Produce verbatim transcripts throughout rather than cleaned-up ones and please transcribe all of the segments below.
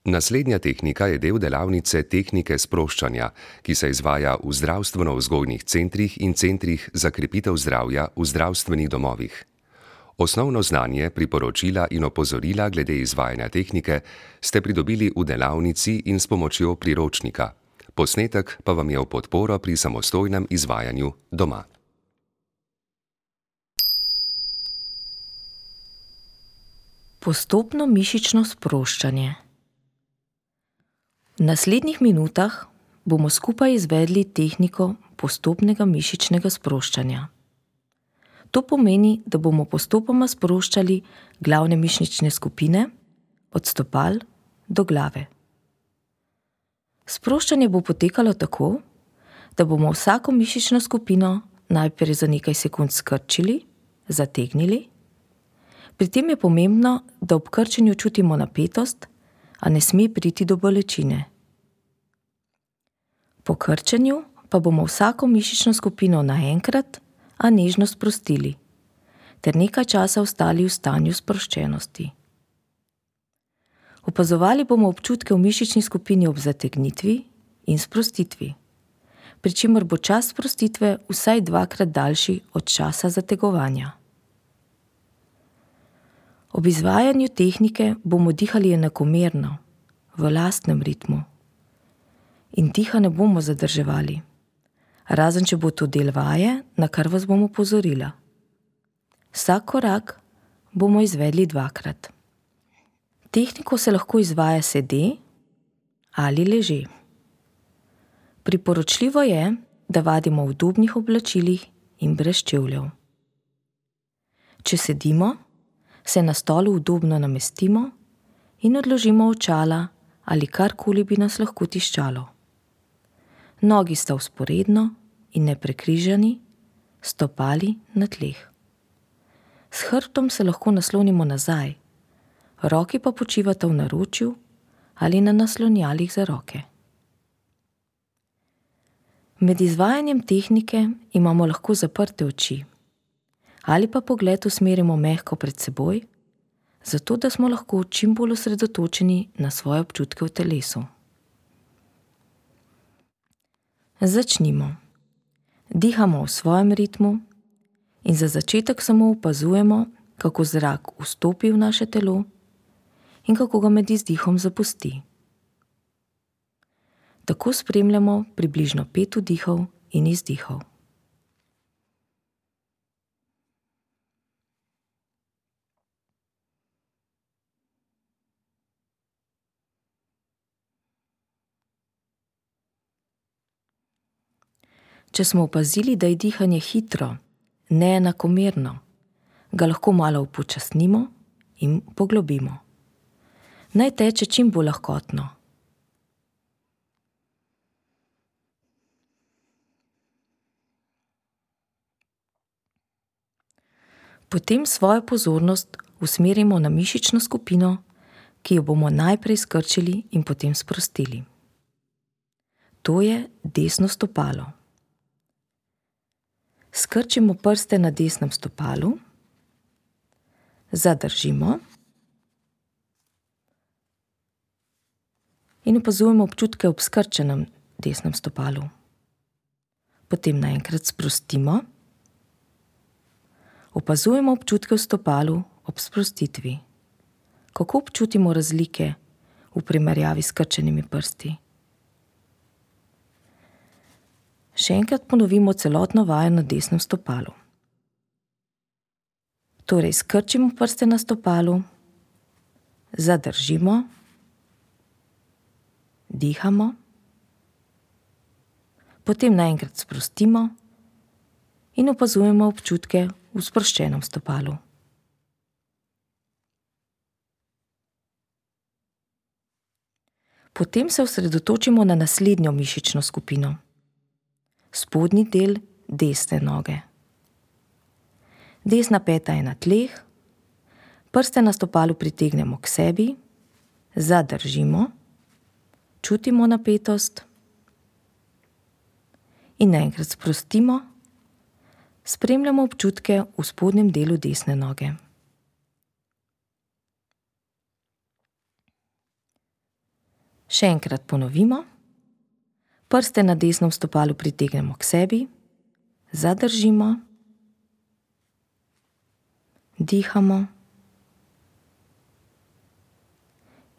Naslednja tehnika je del delavnice tehnike sproščanja, ki se izvaja v zdravstveno-vzgojnih centrih in centrih za krepitev zdravja v zdravstvenih domovih. Osnovno znanje, priporočila in opozorila glede izvajanja tehnike ste pridobili v delavnici in s pomočjo priročnika. Posnetek pa vam je v podporo pri samostojnem izvajanju doma. Postopno mišično sproščanje. V naslednjih minutah bomo skupaj izvedli tehniko postopnega mišičnega sproščanja. To pomeni, da bomo postopoma sproščali glavne mišične skupine od stopal do glave. Sproščanje bo potekalo tako, da bomo vsako mišično skupino najprej za nekaj sekund skrčili, zategnili. Pri tem je pomembno, da ob krčenju čutimo napetost, a ne sme priti do bolečine. Po krčenju pa bomo vsako mišično skupino naenkrat, a nežno sprostili, ter nekaj časa ostali v stanju sproščenosti. Opazovali bomo občutke v mišični skupini ob zategnitvi in sprostitvi, pri čemer bo čas sprostitve vsaj dvakrat daljši od časa zategovanja. Ob izvajanju tehnike bomo dihali enakomerno, v lastnem ritmu. In diha ne bomo zadrževali, razen če bo to del vaje, na kar vas bom opozorila. Vsak korak bomo izvedli dvakrat. Tehniko se lahko izvaja sede ali leže. Priporočljivo je, da vadimo v udobnih oblačilih in brez čevljev. Če sedimo, se na stolu udobno namestimo in odložimo očala ali karkoli bi nas lahko tiščalo. Nogi sta vzporedno in neprekrižani, stopali na tleh. S hrbtom se lahko naslonimo nazaj, roki pa počivata v naročju ali na naslonjalih za roke. Med izvajanjem tehnike imamo lahko zaprte oči ali pa pogled usmerimo mehko pred seboj, zato da smo lahko čim bolj osredotočeni na svoje občutke v telesu. Začnimo. Dihamo v svojem ritmu in za začetek samo opazujemo, kako zrak vstopi v naše telo in kako ga med izdihom zapusti. Tako spremljamo približno pet vdihov in izdihov. Če smo opazili, da je dihanje hitro, neenakomerno, ga lahko malo upočasnimo in poglobimo. Naj teče čim bolj lahkotno. Potem svojo pozornost usmerimo na mišično skupino, ki jo bomo najprej skrčili in potem sprostili. To je desno stopalo. Skrčimo prste na desnem stopalu, zadržimo in opazujemo občutke ob skrčenem desnem stopalu. Potem naenkrat sprostimo, opazujemo občutke v stopalu ob sprostitvi. Kako občutimo razlike v primerjavi s skrčenimi prsti? Še enkrat ponovimo celotno vajo na desnem stopalu. Torej, skrčimo prste na stopalu, zadržimo, dihamo, potem naenkrat sprostimo in opazujemo občutke v sproščenem stopalu. Potem se osredotočimo na naslednjo mišično skupino. Spodnji del desne noge. Desna peta je na tleh, prste na stopalu pritegnemo k sebi, zadržimo, čutimo napetost in naenkrat sprostimo, spremljamo občutke v spodnjem delu desne noge. Še enkrat ponovimo. Prste na desnem stopalu pritegnemo k sebi, zadržimo, dihamo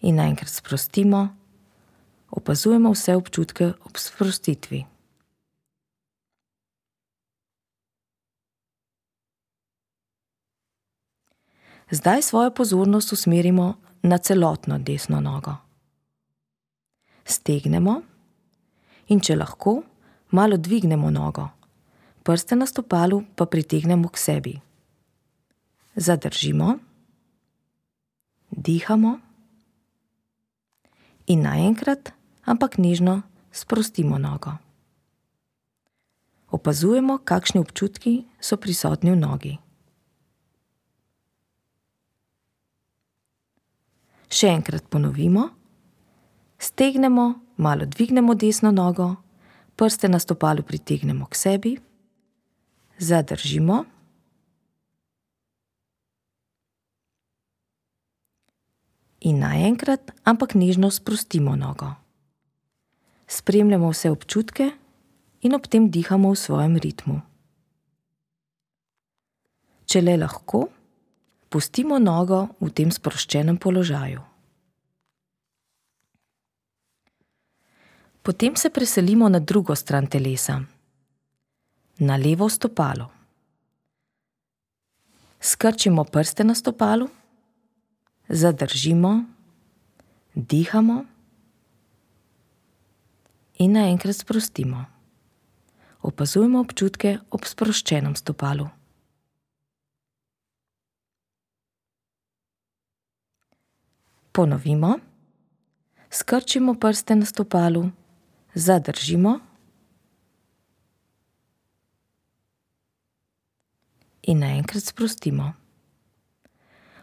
in naenkrat sprostimo, opazujemo vse občutke ob sprostitvi. Zdaj svojo pozornost usmerimo na celotno desno nogo. Stegnemo in če lahko, malo dvignemo nogo, prste na stopalu pa pritegnemo k sebi. Zadržimo, dihamo in naenkrat, ampak nežno sprostimo nogo. Opazujemo, kakšni občutki so prisotni v nogi. Še enkrat ponovimo. Stegnemo, malo dvignemo desno nogo, prste na stopalu pritegnemo k sebi, zadržimo in naenkrat, ampak nežno sprostimo nogo. Spremljamo vse občutke in ob tem dihamo v svojem ritmu. Če le lahko, pustimo nogo v tem sproščenem položaju. Potem se preselimo na drugo stran telesa, na levo stopalo. Skrčimo prste na stopalu, zadržimo, dihamo in naenkrat sprostimo. Opazujemo občutke ob sproščenem stopalu. Ponovimo. Skrčimo prste na stopalu, zadržimo in naenkrat sprostimo.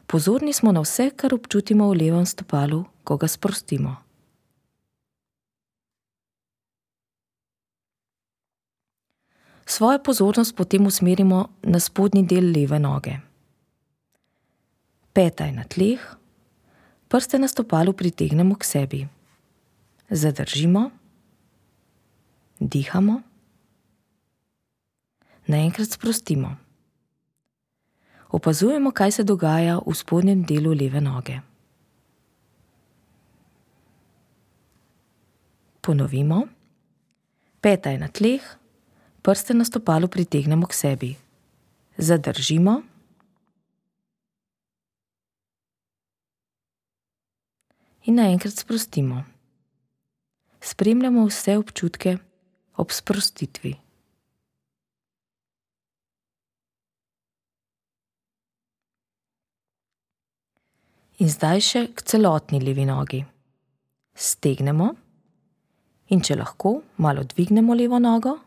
Pozorni smo na vse, kar občutimo v levem stopalu, ko ga sprostimo. Svojo pozornost potem usmerimo na spodnji del leve noge. Peta je na tleh, prste na stopalu pritegnemo k sebi. Zadržimo, dihamo, naenkrat sprostimo. Opazujemo, kaj se dogaja v spodnjem delu leve noge. Ponovimo. Peta je na tleh, prste na stopalu pritegnemo k sebi. Zadržimo in naenkrat sprostimo. Spremljamo vse občutke ob sprostitvi. In zdaj še k celotni levi nogi. Stegnemo in če lahko, malo dvignemo levo nogo,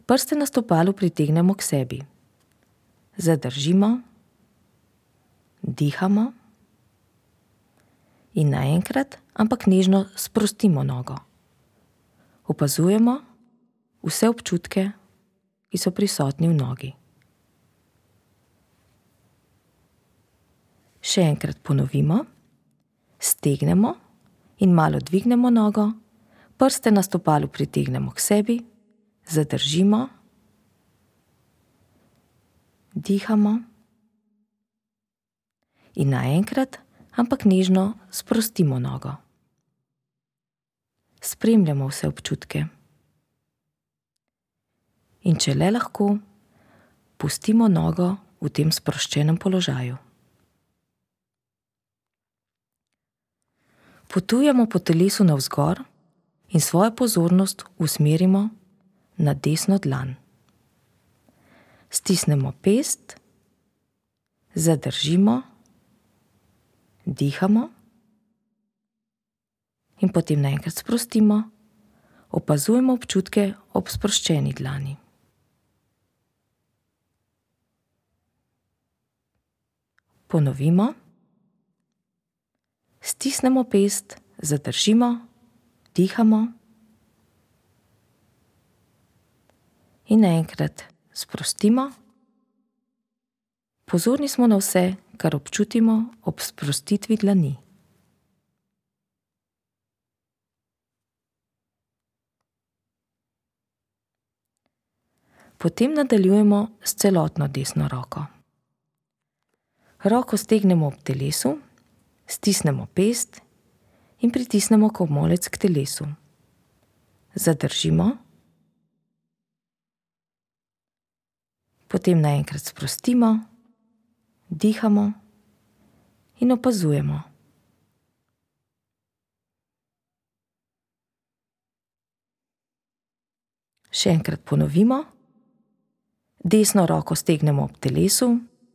prste na stopalu pritegnemo k sebi. Zadržimo, dihamo in naenkrat, ampak nežno sprostimo nogo. Opazujemo vse občutke, ki so prisotni v nogi. Še enkrat ponovimo. Stegnemo in malo dvignemo nogo, prste na stopalu pritegnemo k sebi, zadržimo, dihamo in naenkrat, ampak nežno sprostimo nogo. Spremljamo vse občutke. In če le lahko, pustimo nogo v tem sproščenem položaju. Potujemo po telesu navzgor in svojo pozornost usmerimo na desno dlan. Stisnemo pest, zadržimo, dihamo in potem naenkrat sprostimo, opazujemo občutke ob sproščeni dlani. Ponovimo. Stisnemo pest, zadržimo, dihamo in naenkrat sprostimo. Pozorni smo na vse, kar občutimo ob sprostitvi dlani. Potem nadaljujemo s celotno desno roko. Roko stegnemo ob telesu, stisnemo pest in pritisnemo komolec k telesu. Zadržimo. Potem naenkrat sprostimo, dihamo in opazujemo. Še enkrat ponovimo. Desno roko stegnemo ob telesu,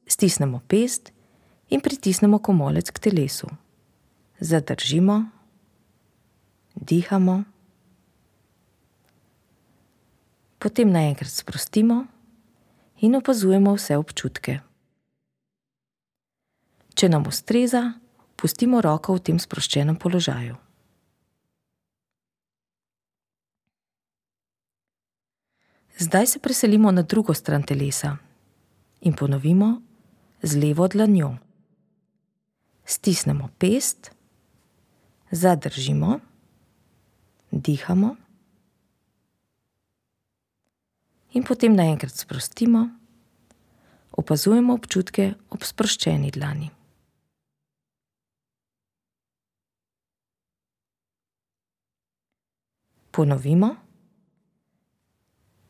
stisnemo pest in pritisnemo komolec k telesu. Zadržimo, dihamo. Potem naenkrat sprostimo in opazujemo vse občutke. Če nam ustreza, pustimo roko v tem sproščenem položaju. Zdaj se preselimo na drugo stran telesa in ponovimo z levo dlanjo. Stisnemo pest, zadržimo, dihamo in potem naenkrat sprostimo, opazujemo občutke ob sproščeni dlani. Ponovimo.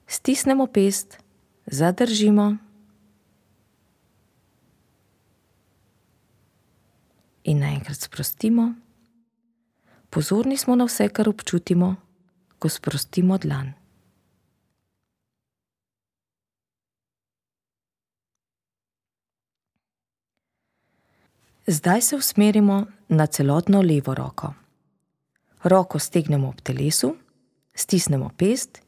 Stisnemo pest, zadržimo in naenkrat sprostimo. Pozorni smo na vse, kar občutimo, ko sprostimo dlan. Zdaj se usmerimo na celotno levo roko. Roko stegnemo ob telesu, stisnemo pest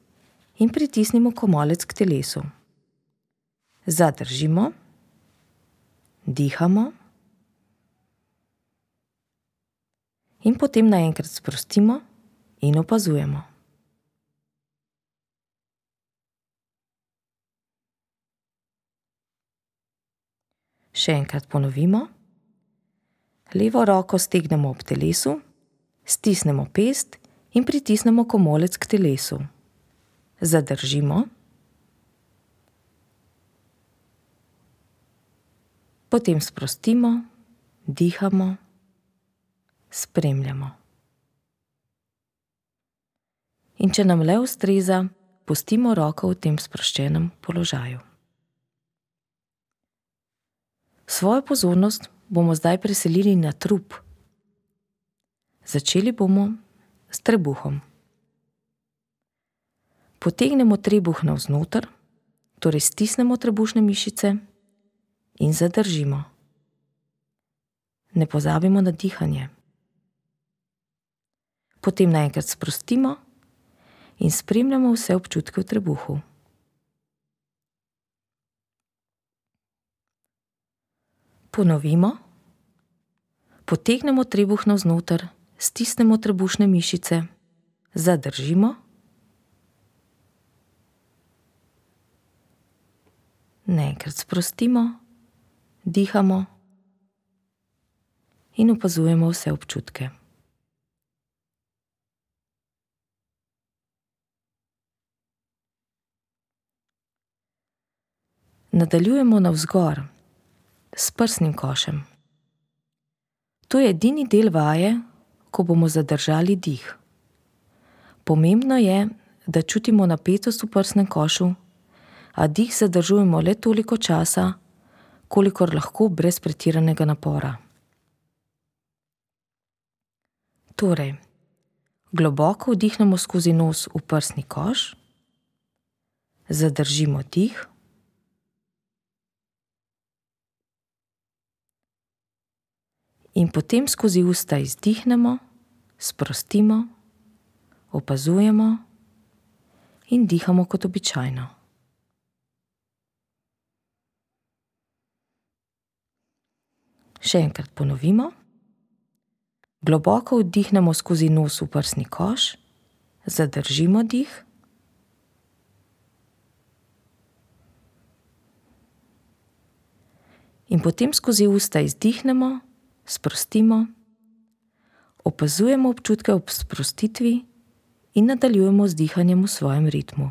in pritisnimo komolec k telesu. Zadržimo, dihamo in potem naenkrat sprostimo in opazujemo. Še enkrat ponovimo. Levo roko stegnemo ob telesu, stisnemo pest in pritisnemo komolec k telesu. Zadržimo. Potem sprostimo, dihamo, spremljamo. In če nam le ustreza, pustimo roko v tem sproščenem položaju. Svojo pozornost bomo zdaj preselili na trup. Začeli bomo s trebuhom. Potegnemo trebuh navznoter, torej stisnemo trebušne mišice in zadržimo. Ne pozabimo na dihanje. Potem naenkrat sprostimo in spremljamo vse občutke v trebuhu. Ponovimo. Potegnemo trebuh navznoter, stisnemo trebušne mišice, zadržimo. Naenkrat sprostimo, dihamo in opazujemo vse občutke. Nadaljujemo navzgor s prsnim košem. To je edini del vaje, ko bomo zadržali dih. Pomembno je, da čutimo napetost v prsnem košu, a dih zadržujemo le toliko časa, kolikor lahko brez pretiranega napora. Torej, globoko vdihnemo skozi nos v prsni koš, zadržimo dih, in potem skozi usta izdihnemo, sprostimo, opazujemo in dihamo kot običajno. Še enkrat ponovimo. Globoko vdihnemo skozi nos v prsni koš, zadržimo dih. In potem skozi usta izdihnemo, sprostimo, opazujemo občutke ob sprostitvi in nadaljujemo z dihanjem v svojem ritmu.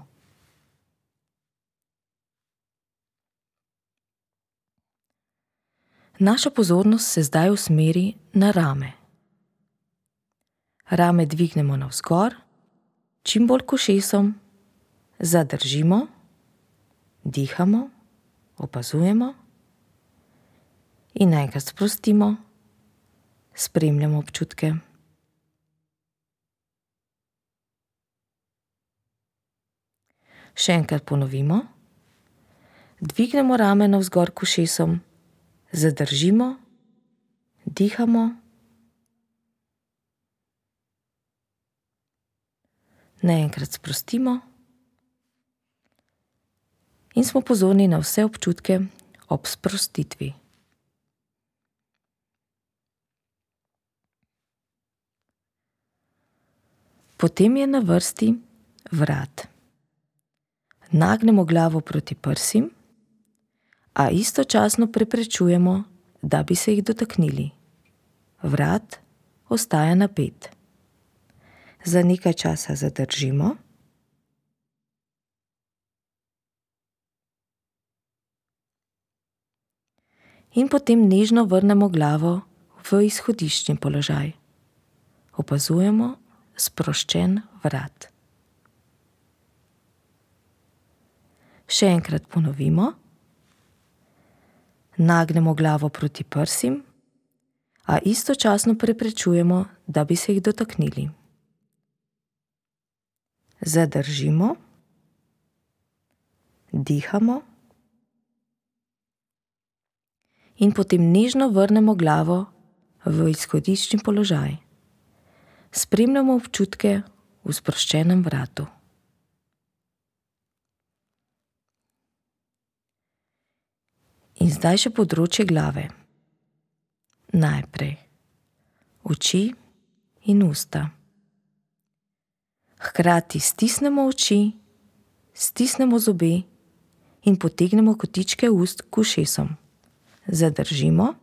Naša pozornost se zdaj usmeri na rame. Rame dvignemo navzgor, čim bolj k ušesom, zadržimo, dihamo, opazujemo in naenkrat sprostimo, spremljamo občutke. Še enkrat ponovimo. Dvignemo rame navzgor k ušesom, zadržimo, dihamo, naenkrat sprostimo in smo pozorni na vse občutke ob sprostitvi. Potem je na vrsti vrat. Nagnemo glavo proti prsim, a istočasno preprečujemo, da bi se jih dotaknili. Vrat ostaja napet. Za nekaj časa zadržimo. In potem nežno vrnemo glavo v izhodiščni položaj. Opazujemo sproščen vrat. Še enkrat ponovimo. Nagnemo glavo proti prsim, a istočasno preprečujemo, da bi se jih dotaknili. Zadržimo, dihamo in potem nežno vrnemo glavo v izhodiščni položaj. Spremljamo občutke v sproščenem vratu. In zdaj še področje glave. Najprej oči in usta. Hkrati stisnemo oči, stisnemo zobe in potegnemo kotičke ust k ušesom. Zadržimo,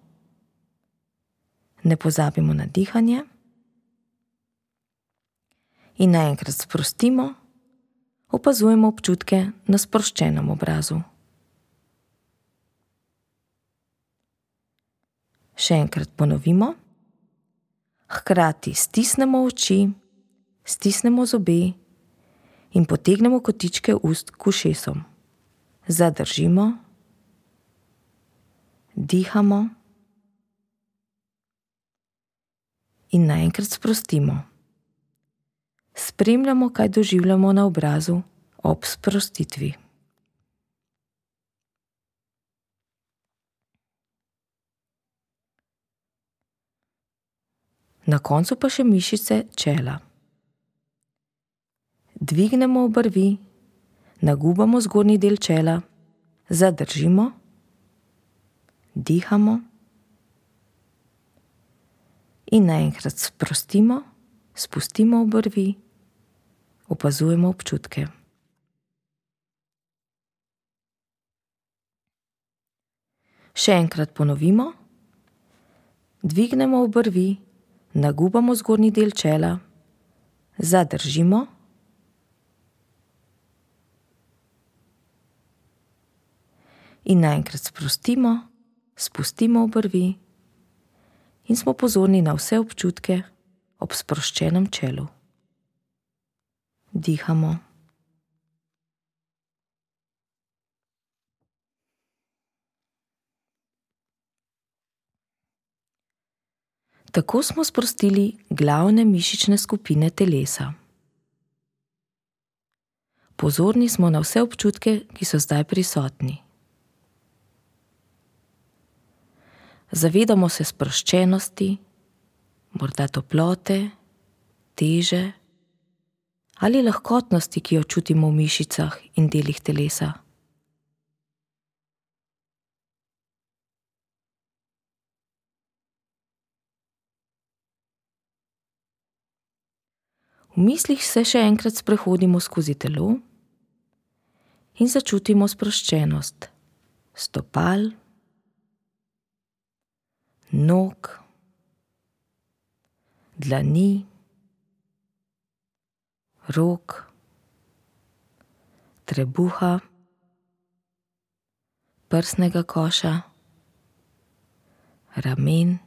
ne pozabimo na dihanje in naenkrat sprostimo, opazujemo občutke na sproščenem obrazu. Še enkrat ponovimo. Hkrati stisnemo oči, stisnemo zobe in potegnemo kotičke ust k ušesom. Zadržimo, dihamo in naenkrat sprostimo. Spremljamo, kaj doživljamo na obrazu ob sprostitvi. Na koncu pa še mišice čela. Dvignemo obrvi, nagubamo zgornji del čela, zadržimo, dihamo in naenkrat sprostimo, spustimo obrvi, opazujemo občutke. Še enkrat ponovimo. Dvignemo obrvi, nagubamo zgornji del čela, zadržimo in naenkrat sprostimo, spustimo obrvi in smo pozorni na vse občutke ob sproščenem čelu. Dihamo. Tako smo sprostili glavne mišične skupine telesa. Pozorni smo na vse občutke, ki so zdaj prisotni. Zavedamo se sproščenosti, morda toplote, teže ali lahkotnosti, ki jo čutimo v mišicah in delih telesa. V mislih se še enkrat sprehodimo skozi telo in začutimo sproščenost stopal, nog, dlani, rok, trebuha, prsnega koša, ramen,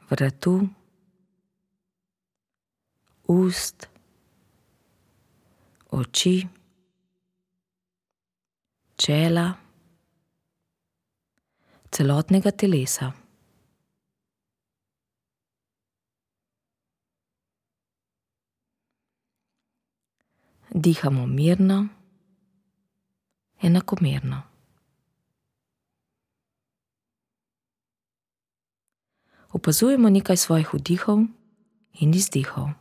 vratu, ust, oči, čela, celotnega telesa. Dihamo mirno, enakomerno. Opazujemo nekaj svojih vdihov in izdihov.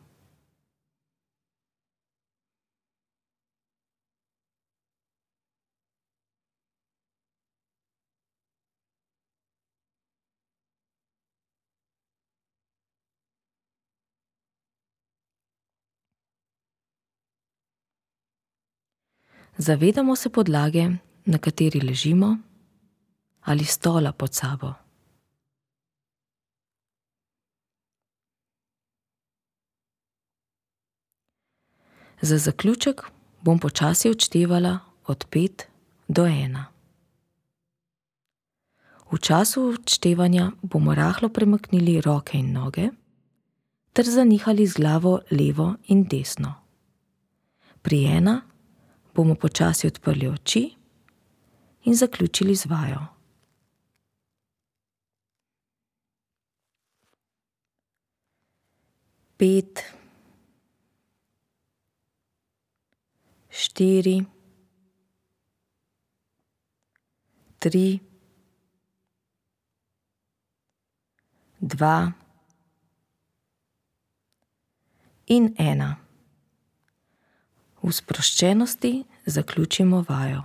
Zavedamo se podlage, na kateri ležimo, ali stola pod sabo. Za zaključek bom počasi odštevala od pet do ena. V času odštevanja bomo rahlo premaknili roke in noge ter zanihali z glavo levo in desno. Pri ena bomo počasi odprli oči in zaključili z vajo. Pet, štiri, tri, dva in ena. V sproščenosti zaključimo vajo.